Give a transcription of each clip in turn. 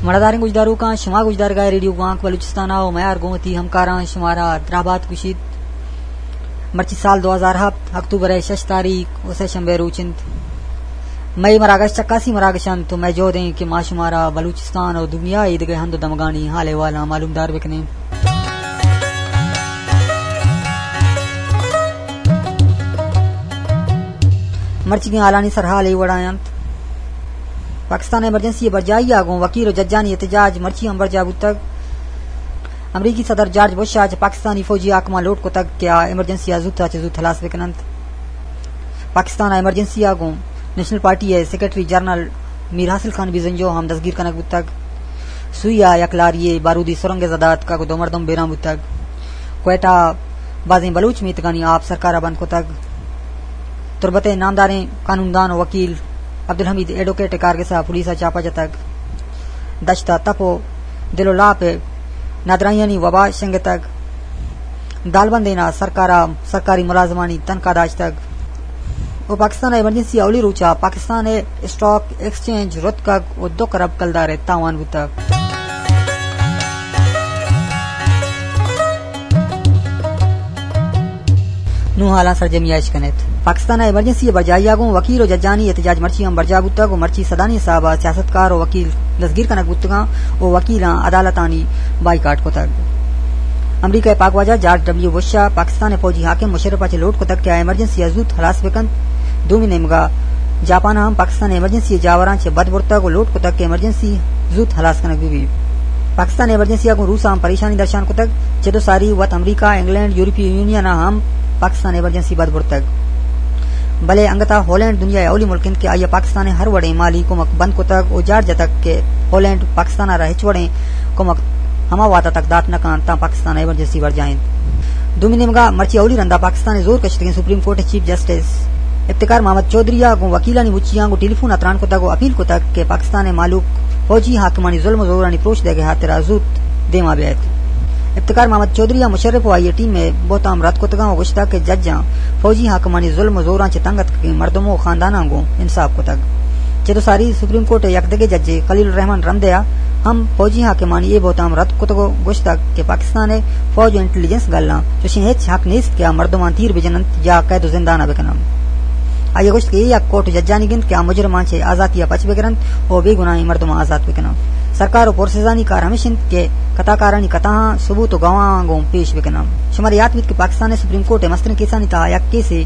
مڑاداریں گوشداروکاں، شما گوشدارگا ریڈیو گوانک بلوچستان ءَ ءُ میار گوں وتی ہمکاراں شمارا درابات گوشیت۔ مرچی سال دو ہزار ہپت، اکتوبر ءِ شش تاریخ ءُ سہ شنبے روچ انت۔ مئے مراگش چکاسی مراگش انت ءُ مئے جہد انت کہ ما شمارا بلوچستان ءُ دنیا ءِ ایدگہ ہند ءُ دمگانی حال احوالاں معلومدار بکنیں۔ مرچیگیں حالانی سرحال اے وڑا انت۔ پاکستان ایمرجنسی ءِ برجاہی ءَ گوں وکیل ءُ ججانی احتجاج مرچی ہم برجاہ بوتگ۔ امریکی صدر جارج بش ءَ چہ پاکستانی فوجی حاکماں لوٹ کتگ کہ آ ایمرجنسی ءَ زوت ءَ چہ زوت ہلاس بکننت۔ پاکستان ءِ ایمرجنسی ءَ گوں نیشنل پارٹی ءِ سیکرٹری جنرل میر حاصل خان بزنجو ہم دزگیر کنگ بوتگ۔ سوئی ءَ یک لاری ءَ بارودی سرنگ ءِ زد ءَ اتکگ ءُ دو مردم بیران بوتگ۔ کوئٹہ ءَ بازیں بلوچ میتگانی آپ سرکار ءَ بند کتگ۔ تربت ءِ نامداریں قانوندان ءُ وکیل عبدالحمید ایڈوکیٹ ءِ کارگس ءَ پولیس ءَ چاپہ جتگ۔ دشت ءَ تپ ءُ دل ءُ لاپ ءِ نادراہیانی وبا شنگتگ۔ دالبندین ءَ سرکار ءَ سرکاری ملازمانی تنخواہ داشتگ۔ ءُ پاکستان ءِ ایمرجنسی ءِ اولی روچ ءَ پاکستان ءِ اسٹاک ایکسچینج رتکگ ءُ دو کرب کلدار ءِ تاوان بوتگ۔ نوں حالاں سرجمی ءَ اش کن ات۔ پاکستان ءِ ایمرجنسی ءِ برجاہی ءَ گوں وکیل ءُ ججانی احتجاج مرچی ہم برجاہ بوتگ ءُ مرچی سدانی حساب ءَ سیاستکار ءُ وکیل دزگیر کنگ بوتگاں ءُ وکیلاں عدالتانی بائیکاٹ کتگ۔ امریکہ ءِ پاک واجہ جارج ڈبلیو بش ءَ پاکستان ءِ فوجی حاکم مشرف ءَ چہ لوٹ کتگ کہ آ ایمرجنسی ءَ زوت ہلاس بکنت۔ دومی نیمگ ءَ جاپان ءَ ہم پاکستان ءِ ایمرجنسی ءِ جاوراں چہ بد برتگ ءُ لوٹ کتگ کہ ایمرجنسی زوت ہلاس کنگ بہ بیت۔ پاکستان ءِ ایمرجنسی ءَ گوں روس ءَ ہم پریشانی درشان کتگ۔ چد ءُ ساری وت امریکہ، انگلینڈ، یورپی یونین ءَ ہم پاکستان ءِ ایمرجنسی بد برتگ۔ بلے انگت ءَ ہالینڈ دنیا ءِ اولی ملک انت کہ آئی ءَ پاکستان ءِ ہر وڑیں مالی کمک بند کتگ ءُ جار جتگ کہ ہالینڈ پاکستان ءَ را ہچ وڑیں کمک ہما وہد ءَ تک دات نہ کنت تاں پاکستان ءِ ایمرجنسی برجاہ انت۔ دومی نیمگ ءَ مرچی اولی رند ءَ پاکستان ءِ زور کشتگیں سپریم کورٹ ءِ چیف جسٹس افتخار محمد چوہدری ءَ گوں وکیلانی مچیاں گوں ٹیلی فون ءَ تران کتگ ءُ اپیل کتگ کہ پاکستان ءِ مہلوک فوجی حاکمانی ظلم ءُ زورانی پروش دئیگ ءِ ہاترا زوت دیما بیایت۔ افتخار محمد چوہدری ءَ مشرف ءُ آئی ءِ ٹیم ءِ بہتام رد کتگاں ءُ گوشتگ کہ ججاں فوجی حاکمانی ظلم ءُ زوراں چہ تنگ اتکگیں مردم ءُ خانداناں گوں انصاف کتگ۔ چد ءُ ساری سپریم کورٹ ءِ یک دگہ ججے خلیل الرحمن رمدے ءَ ہم فوجی حاکمانی اے بہتام رد کتگ ءُ گوشتگ کہ پاکستان ءِ فوج ءُ انٹیلیجنس گلاں چوشیں ہچ حق نیست کہ آ مردماں تیر بجن انت یا قید ءُ زندان ءَ بکن انت۔ آئی ءَ گوشت کہ اے یک کورٹ ءُ ججانی گند کہ آ مجرماں چہ آزاتی ءَ پچ بگر انت ءُ بے گناہیں مردماں آزات بکن انت۔ سرکار ءُ پرسزانی کار ہمیش انت کہ کتاکارانی کتاہاں ثبوت ءُ گواہاں گوں پیش بکن انت۔ شمارا یات بیت کہ پاکستان ءِ سپریم کورٹ ءِ مستریں کیسانی تہا یک کیسے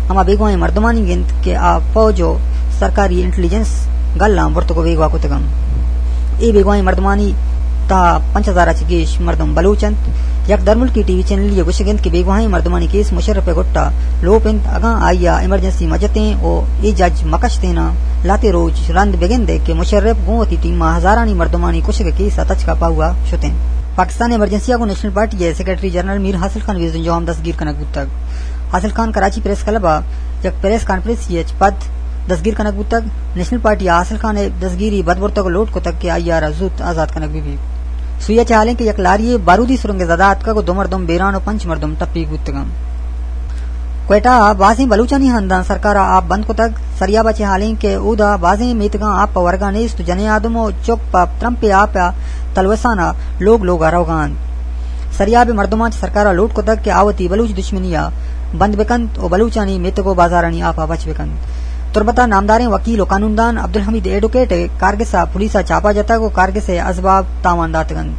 ہما بیگواہیں مردمانی گند کہ آ فوج ءُ سرکاری انٹیلیجنس گلاں برتگ ءُ بیگواہ کتگ انت۔ اے بیگواہیں مردمانی تہا پنچ ہزار ءَ چہ گیش مردم بلوچ انت۔ یک درملکی ٹی وی چینلے ءَ گوشگ انت کہ بیگواہیں مردمانی کیس مشرف ءِ گٹ ءَ لوپ انت، اگاں آئی ءَ ایمرجنسی مہ جتیں ءُ اے جج مہ کشتیناں، لہتے روچ رند بگندئے کہ مشرف گوں وتی ٹیم ءَ ہزارانی مردمانی کشگ ءِ کیس ءَ تچک ءَ پہو ءَ شتیں۔ پاکستان ایمرجنسی ءَ گوں نیشنل پارٹی ءِ سیکرٹری جنرل میر حاصل خان بزنجو ہم دستگیر کنگ بوتگ۔ حاصل خان کراچی پریس کلب ءَ یک پریس کانفرنسے ءَ چہ پد دزگیر کنگ بوتگ۔ نیشنل پارٹی ءَ حاصل خان ءِ دزگیری بد برتگ ءُ لوٹ کتگ کہ آئی ءَ را زوت آزات کنگ بہ بیت۔ سوئی ءَ چہ حالیں کہ یک لاری ءَ بارودی سرنگ ءِ زد ءَ اتکگ ءُ دو مردم بیران ءُ پنچ مردم ٹپیگ بوتگ انت۔ کوئٹہ ءَ بازیں بلوچانی ہنداں سرکار ءَ آپ بند کتگ۔ سریاب ءَ چہ حالیں کہ اودا بازیں میتگاں آپ ءِ ورگ ءَ نیست ءُ جنیں آدم ءُ چک پہ ترمپے آپ ءِ تلوسان ءَ لوگ لوگ ءَ روگ ءَ انت۔ سریاب ءِ مردماں چہ سرکار ءَ لوٹ کتگ کہ آ وتی بلوچ دشمنی ءَ بند بکنت ءُ بلوچانی میتگ ءُ بازارانی آپ ءَ بچ بکنت۔ تربت ءَ نامداریں وکیل ءُ قانوندان عبدالحمید ایڈوکیٹ ءِ کارگس ءَ پولیس ءَ چاپہ جتگ ءُ کارگس ءِ ازباب تاوان داتگ انت،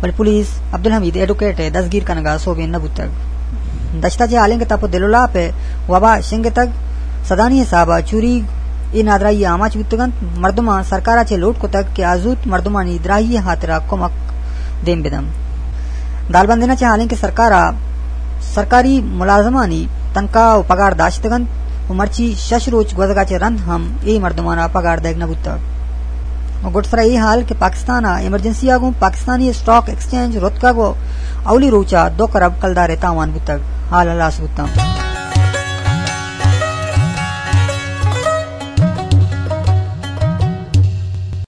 بلے پولیس عبدالحمید ایڈوکیٹ ءِ دزگیر کنگ ءَ سوبین نہ بوتگ۔ دشت ءَ چہ حالیں کہ تپ ءُ دل ءُ لاپ ءِ وبا شنگتگ، سدانی حساب ءَ چوریگ اے نادراہی ءِ آماچ بوتگ انت۔ مردماں سرکار ءَ چہ لوٹ کتگ کہ آ زوت مردمانی دراہی ءِ ہاترا کمک دیم بدنت۔ دالبندین ءَ چہ حالیں کہ سرکار ءَ سرکاری ملازمانی تنخواہ ءُ پگار داشتگ انت ءُ مرچی شش روچ گوزگ ءَ چہ رند ہم اے مردماں ءَ پگار دئیگ نہ بوتگ۔ ءُ گڈسر ءَ اے حال کہ پاکستان ءَ ایمرجنسی ءَ گوں پاکستانی اسٹاک ایکسچینج رتکگ ءُ اولی روچ ءَ دو کرب کلدار ءِ تاوان بوتگ، حال ہلاس بوتاں۔